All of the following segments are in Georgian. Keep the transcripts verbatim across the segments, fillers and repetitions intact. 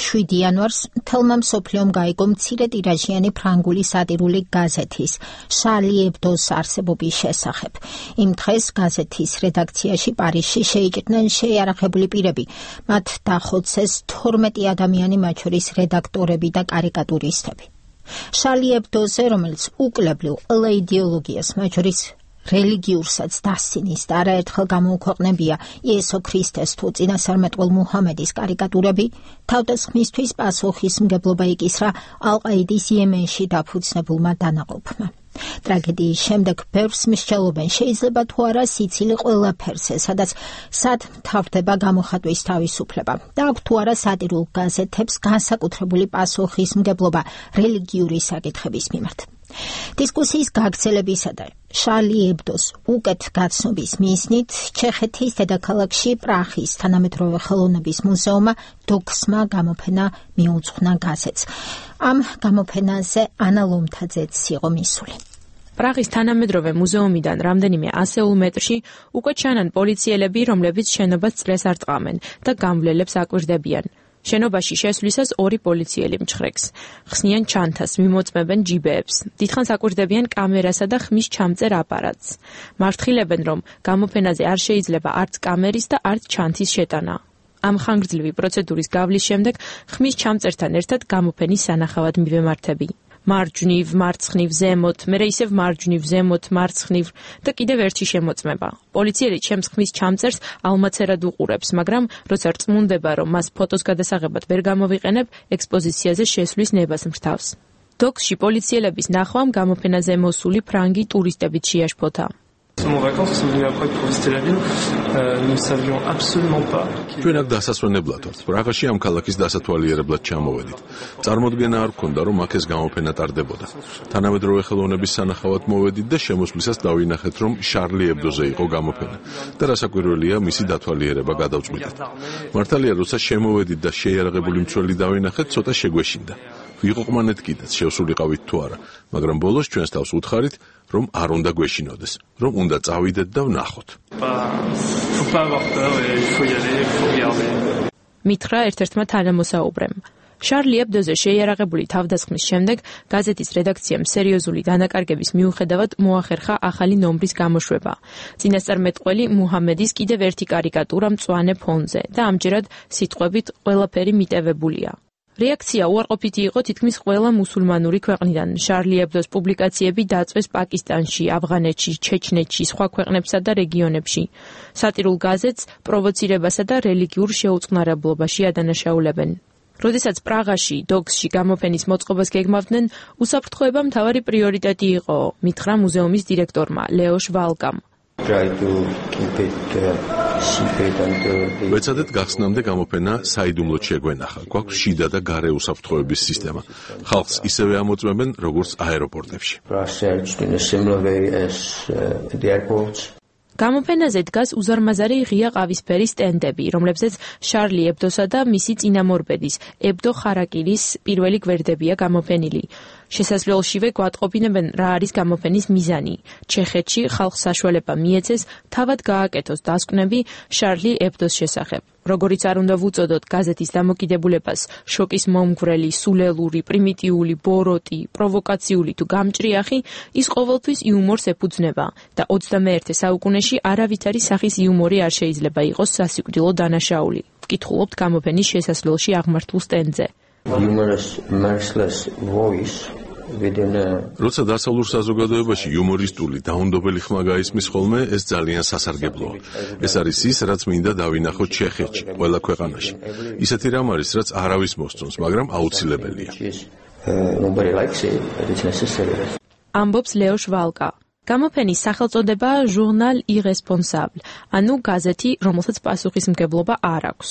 შვიდი იანვარს მთელმა მსოფლიომ გაიგო მცირე ტირაჟიანი ფრანგული სატირული გაზეთის შარლი ებდოს არსებობის შესახებ. იმ დღეს გაზეთის რედაქციაში პარიზში შეიჭრნენ შეიარაღებული პირები. მათ დახოცეს თორმეტი ადამიანი, მათ შორის რედაქტორები და კარიკატურისტები. შარლი ებდოზე, რომელიც უკლებლივ ყველა იდეოლოგიას, მათ შორის რელიგიურსაც დასცინის და არაერთხელ გამოუქვეყნებია იესო ქრისტეს თუ წინასწარმეტყველ მუჰამედის კარიკატურები, თავდასხმისთვის პასუხისმგებლობა იკისრა ალ-ყაიდის იემენში დაფუძნებულმა დანაყოფმა. ტრაგედიის შემდეგ ბევრს მსჯელობენ, შეიძლება თუ არა სიცილი ყველაფერზე, სადაც სად მთავრდება გამოხატვის თავისუფლება და აქვს თუ არა სატირულ გაზეთებს განსაკუთრებული პასუხისმგებლობა რელიგიური საკითხების მიმართ. დისკუსიის გაგრძელებისა და შარლი ებდოს უკეთ გაცნობის მიზნით ჩეხეთის დედაქალაქში პრაღის თანამედროვე ხელოვნების მუზეუმმა დოქსმა გამოფენა მიუძღვნა გაზეთს. ამ გამოფენაზე ანა ლომთაძეც იყო მისული. პრაღის თანამედროვე მუზეუმიდან რამდენიმე ასეულ მეტრში უკვე ჩანან პოლიციელები, რომლებიც შენობას წრეს არ ტყამენ და გამვლელებს აკვირდებიან. შენობაში შესვლისას ორი პოლიციელი მჩხრეკს. ხსნიან ჩანთას, მიმოწმებენ ჯიბეებს. დიდხანს აკვირდებიან კამერასა და ხმის ჩამწერ აპარატს. მართხილებენ, რომ გამოფენაზე არ შეიძლება არც კამერის და არც ჩანთის შეტანა. ამ ხანგრძლივი პროცედურის გავლის შემდეგ ხმის ჩამწერთან ერთად გამოფენის სანახავად მივემართები. მარჯვნივ, მარცხნივ, ზემოთ, მერე ისევ მარჯვნივ, ზემოთ, მარცხნივ და კიდევ ერთი შემოწმება. პოლიციელი ჩემს ხმის ჩამწერს ალმაცერად უყურებს, მაგრამ როცა რწმუნდება, რომ მას ფოტოს გადასაღებად ვერ გამოვიყენებ, ექსპოზიციაზე შესვლის ნებას მრთავს. დოქსში პოლიციელების ნახვამ გამოფენაზე მოსული ფრანგი ტურისტებიც შეაშფოთა. ჩვენ აქ დასასვენებლად ვართ. პრაღაში ამ ქალაქის დასათვალიერებლად ჩამოვედით. წარმოდგენა არ გქონდა, რომ აქ ეს გამოფენა ტარდებოდა. თანამედროვე ხელოვნების სანახავად მოვედით და შემოსვლისას დავინახეთ, რომ შარლი ებდოზე იყო გამოფენა და რასაკვირველია, მისი დათვალიერება გადავწყვიტეთ. მართალია, როცა შემოვედით და შეიარაღებული მცველი დავინახეთ, ცოტა შეგვეშინდა. ვიყოყმანეთ კიდეც, შევსულიყავით თუ არა, მაგრამ ბოლოს ჩვენს თავს უთხარით, რომ არ უნდა გვეშინოდეს, რომ უნდა წავიდეთ და ვნახოთ. მითხრა ერთ-ერთმა თანამოსაუბრემ. შარლი ებდოზე შეიარაღებული თავდასხმის შემდეგ გაზეთის რედაქციამ სერიოზული დანაკარგების მიუხედავად მოახერხა ახალი ნომრის გამოშვება. წინასწარმეტყველი მუჰამედის კიდევ ერთი კარიკატურა მწვანე ფონზე და ამჯერად სიტყვებით ყველაფერი მიტევებულია. რეაქცია უარყოფითი იყო თითქმის ყველა მუსულმანური ქვეყნიდან. შარლი ებდოს პუბლიკაციები დაწვეს პაკისტანში, ავღანეთში, ჩეჩნეთში, სხვა ქვეყნებსა და რეგიონებში. სატირულ გაზეთს პროვოცირებასა და რელიგიურ შეუწყნარებლობაში ადანაშაულებენ. როდესაც პრაღაში, დოქსში გამოფენის მოწყობას გეგმავდნენ, უსაფრთხოება მთავარი პრიორიტეტი იყო, მითხრა მუზეუმის დირექტორმა ლეო შვალკამ. ვეცადეთ გახსნამდე გამოფენა საიდუმლოდ შეგვენახა. გვაქვს შიდა და გარე უსაფრთხოების სისტემა. ხალხს ისევე ამოწმებენ, როგორც აეროპორტებში. გამოფენაზე დგას უზარმაზარი ღია ყავისფერი სტენდები, რომლებზეც შარლი ებდოსა და მისი წინამორბედის, ებდო ხარაკირის პირველი გვერდებია გამოფენილი. შესასვლელშივე გვატყობინებენ, რა არის გამოფენის მიზანი. ჩეხეთში ხალხს საშუალება მიეცეს თავად გააკეთოს დასკვნები შარლი ებდოს შესახებ. როგორიც არ უნდა ვუწოდოთ გაზეთის დამოკიდებულებას შოკის მომგვრელი, სულელური, პრიმიტიული, ბოროტი, პროვოკაციული თუ გამჭრიახი, ის ყოველთვის იუმორს ეფუძნება და ოცდამეერთე საუკუნეში არავითარი სახის იუმორი არ შეიძლება იყოს სასიკვდილო დანაშაული. ვკითხულობთ გამოფენის შესასვლელში აღმართულ სტენდზე. Humorous, merciless voice within a... როცა დასავლურ საზოგადოებაში იუმორისტული, დაუნდობელი ხმა გაისმის ხოლმე, ეს ძალიან სასარგებლოა. ეს არის ის, რაც მინდა დავინახოთ ჩეხეთში, ყველა ქვეყანაში. ისეთი რამ არის, რაც არავის მოსწონს, მაგრამ აუცილებელია. ამბობს ლეო შვალკა. გამოფენის სახელწოდება ჟურნალ irresponsable, ანუ გაზეთი, რომელსაც პასუხისმგებლობა არ აქვს.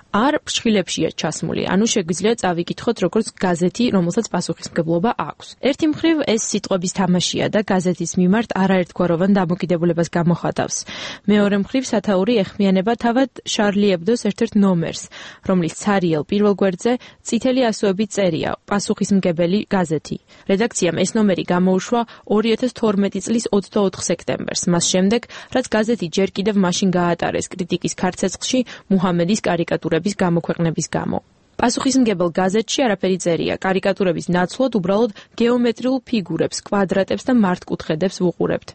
არ ფრჩხილებშია ჩასმული, ანუ შეგვიძლია წავიკითხოთ როგორც გაზეთი, რომელსაც პასუხისმგებლობა აქვს. ერთი მხრივ ეს სიტყვების თამაშია და გაზეთის მიმართ არაერთგვაროვან დამოკიდებულებას გამოხატავს. მეორე მხრივ სათაური ეხმიანება თავად შარლი ებდოს ერთ-ერთ ნომერს, რომლის ცარიელ პირველ გვერდზე წითელი ასოებით წერია პასუხისმგებელი გაზეთი. რედაქციამ ეს ნომერი გამოუშვა ორი ათას თორმეტი წლის ოცდაოთხ სექტემბერს, მას შემდეგ, რაც გაზეთი ჯერ კიდევ მაშინ გაატარეს კრიტიკის ქარცეცხლში მუჰამედის კარიკატურების გამოქვეყნების გამო. პასუხისმგებელ გაზეთში არაფერი წერია, კარიკატურების ნაცვლად უბრალოდ გეომეტრიულ ფიგურებს, კვადრატებს და მართკუთხედებს ვუყურებთ.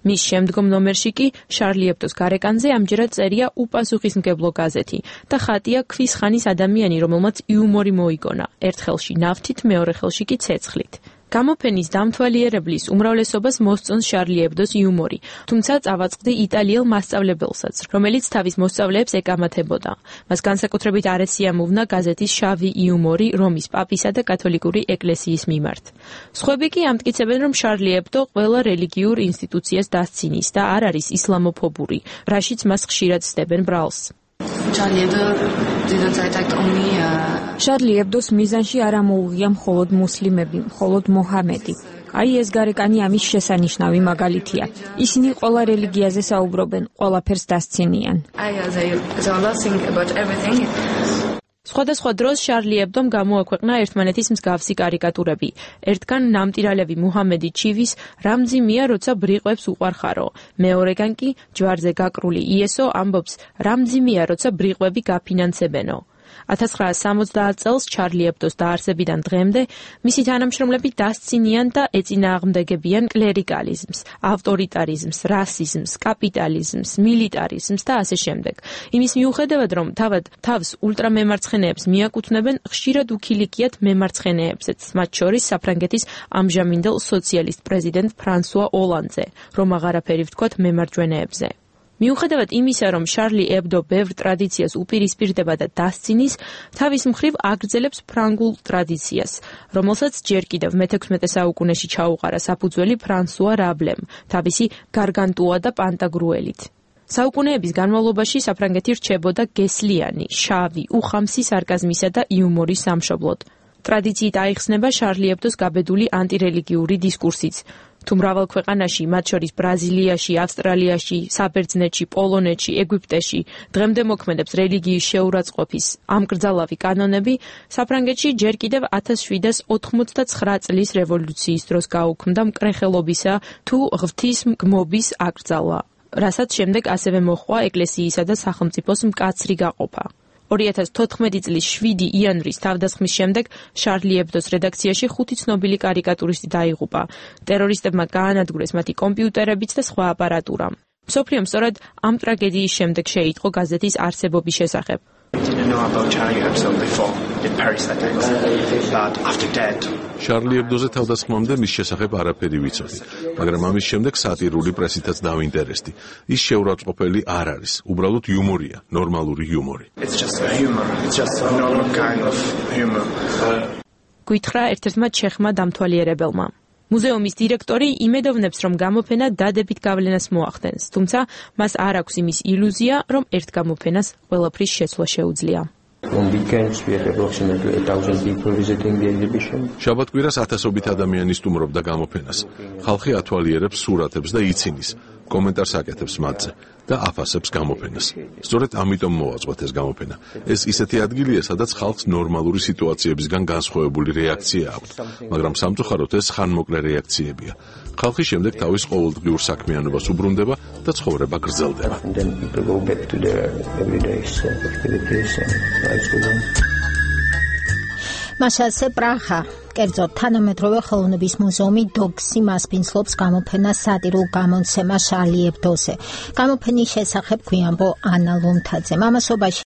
მის შემდგომ ნომერში კი შარლი ებდოს გარეკანზე ამჯერად წერია უპასუხისმგებლო გაზეთი და ხატია ქვის ხანის ადამიანი, რომელმაც იუმორი მოიგონა, ერთ ხელში ნავთით, მეორე ხელში კი ცეცხლით. გამოფენის დამთვალიერებლის უმრავლესობას მოსწონს შარლი ებდოს იუმორი, თუმცა წავაწყდი იტალიელ მასწავლებელსაც, რომელიც თავის მოსწავლეებს ეკამათებოდა. მას განსაკუთრებით არ ესიამოვნა გაზეთის შავი იუმორი რომის პაპისა და კათოლიკური ეკლესიის მიმართ. სხვები კი ამტკიცებენ, რომ შარლი ებდო ყველა რელიგიურ ინსტიტუციას დასცინის და არ არის ისლამოფობური, რაშიც მას ხშირად სდებენ ბრალს. შარლი ებდოს მიზანში არ ამოუღია მხოლოდ მუსლიმები, მხოლოდ მოჰამედი. აი ეს გარეკანი ამის შესანიშნავი მაგალითია. ისინი ყველა რელიგიაზე საუბრობენ, ყველაფერს დასცინიან. სხვადასხვა დროს შარლი ებდომ გამოაქვეყნა ერთმანეთის მსგავსი კარიკატურები. ერთგან ნამტირალევი მუჰამედი ჩივის რამძიმია, როცა ბრიყვებს უყვარხარო. მეორეგან კი ჯვარზე გაკრული იესო ამბობს რამძიმია, როცა ბრიყვები გაფინანსებენო. ათას ცხრაასი სამოცდაათ წელს შარლი ებდოს დაარსებიდან დღემდე მისი თანამშრომლები დასცინიან და ეწინააღმდეგებიან კლერიკალიზმს, ავტორიტარიზმს, რასიზმს, კაპიტალიზმს, მილიტარიზმს და ასე შემდეგ. იმის მიუხედავად, რომ თავად თავს ულტრამემარცხენეებს მიაკუთვნებენ, ხშირად უქილიკიათ მემარცხენეებზეც, მათ შორის საფრანგეთის ამჟამინდელ სოციალისტ პრეზიდენტ ფრანსუა ოლანდზე, რომ აღარაფერი ვთქვათ მემარჯვენეებზე. მიუხედავად იმისა, რომ შარლი ებდო ბევრ ტრადიციას უპირისპირდება და დასცინის, თავის მხრივ აგრძელებს ფრანგულ ტრადიციას, რომელსაც ჯერ კიდევ მეთექვსმეტე საუკუნეში ჩაუყარა საფუძველი ფრანსუა რაბლემ, თავისი გარგანტუა და პანტაგრუელით. საუკუნეების განმავლობაში საფრანგეთი რჩებოდა გესლიანი, შავი, უხამსი სარკაზმისა და იუმორის სამშობლოდ. ტრადიციით აიხსნება შარლი ებდოს გაბედული ანტირელიგიური დისკურსიც. თუ მრავალ ქვეყანაში, მათ შორის ბრაზილიაში, ავსტრალიაში, საბერძნეთში, პოლონეთში, ეგვიპტეში, დღემდე მოქმედებს რელიგიის შეურაცხყოფის ამკრძალავი კანონები, საფრანგეთში ჯერ კიდევ ათას შვიდას ოთხმოცდაცხრა წლის რევოლუციის დროს გაუქმდა მკრეხელობისა თუ ღვთისმგმობის აკრძალვა, რასაც შემდეგ ასევე მოჰყვა ეკლესიისა და სახელმწიფოს მკაცრი გაყოფა. ორი ათას თოთხმეტი წლის შვიდი იანვრის თავდასხმის შემდეგ შარლი ებდოს რედაქციაში ხუთი ცნობილი კარიკატურისტი დაიღუპა. ტერორისტებმა გაანადგურეს მათი კომპიუტერებიც და სხვა აპარატურა. მსოფლიომ სწორედ ამ ტრაგედიის შემდეგ შეიტყო გაზეთის არსებობის შესახებ. შარლი ებდოზე თავდასხმამდე მის შესახებ არაფერი ვიცოდი, მაგრამ ამის შემდეგ სატირული პრესითაც დავინტერესდი. ის შეურაცხყოფელი არ არის, უბრალოდ იუმორია, ნორმალური იუმორი. გვითხრა ერთ-ერთმა ჩეხმა დამთვალიერებელმა. მუზეუმის დირექტორი იმედოვნებს, რომ გამოფენა დადებით გავლენას მოახდენს, თუმცა მას არ აქვს იმის ილუზია, რომ ერთ გამოფენას ყველაფრის შეცვლა შეუძლია. შაბათ-კვირას ათასობით ადამიანი სტუმრობდა გამოფენას. ხალხი ათვალიერებს სურათებს და იცინის, კომენტარს აკეთებს მათზე და აფასებს გამოფენას. სწორედ ამიტომ მოვაწყვეთ ეს გამოფენა. ეს ისეთი ადგილია, სადაც ხალხს ნორმალური სიტუაციებისგან განსხვავებული რეაქცია აქვს, მაგრამ სამწუხაროდ ეს ხანმოკლე რეაქციებია. ხალხი შემდეგ თავის ყოველდღიურ საქმიანობას უბრუნდება და ცხოვრება გრძელდება. მასალზე პრაღა, კერძოდ თანამედროვე ხელოვნების მუზეუმი დოგსი მასპინძლობს გამოფენას სატირულ გამოცემა შარლი ებდოზე. გამოფენის შესახებ გვიანბო ანა ლომთაძე. მამასობაში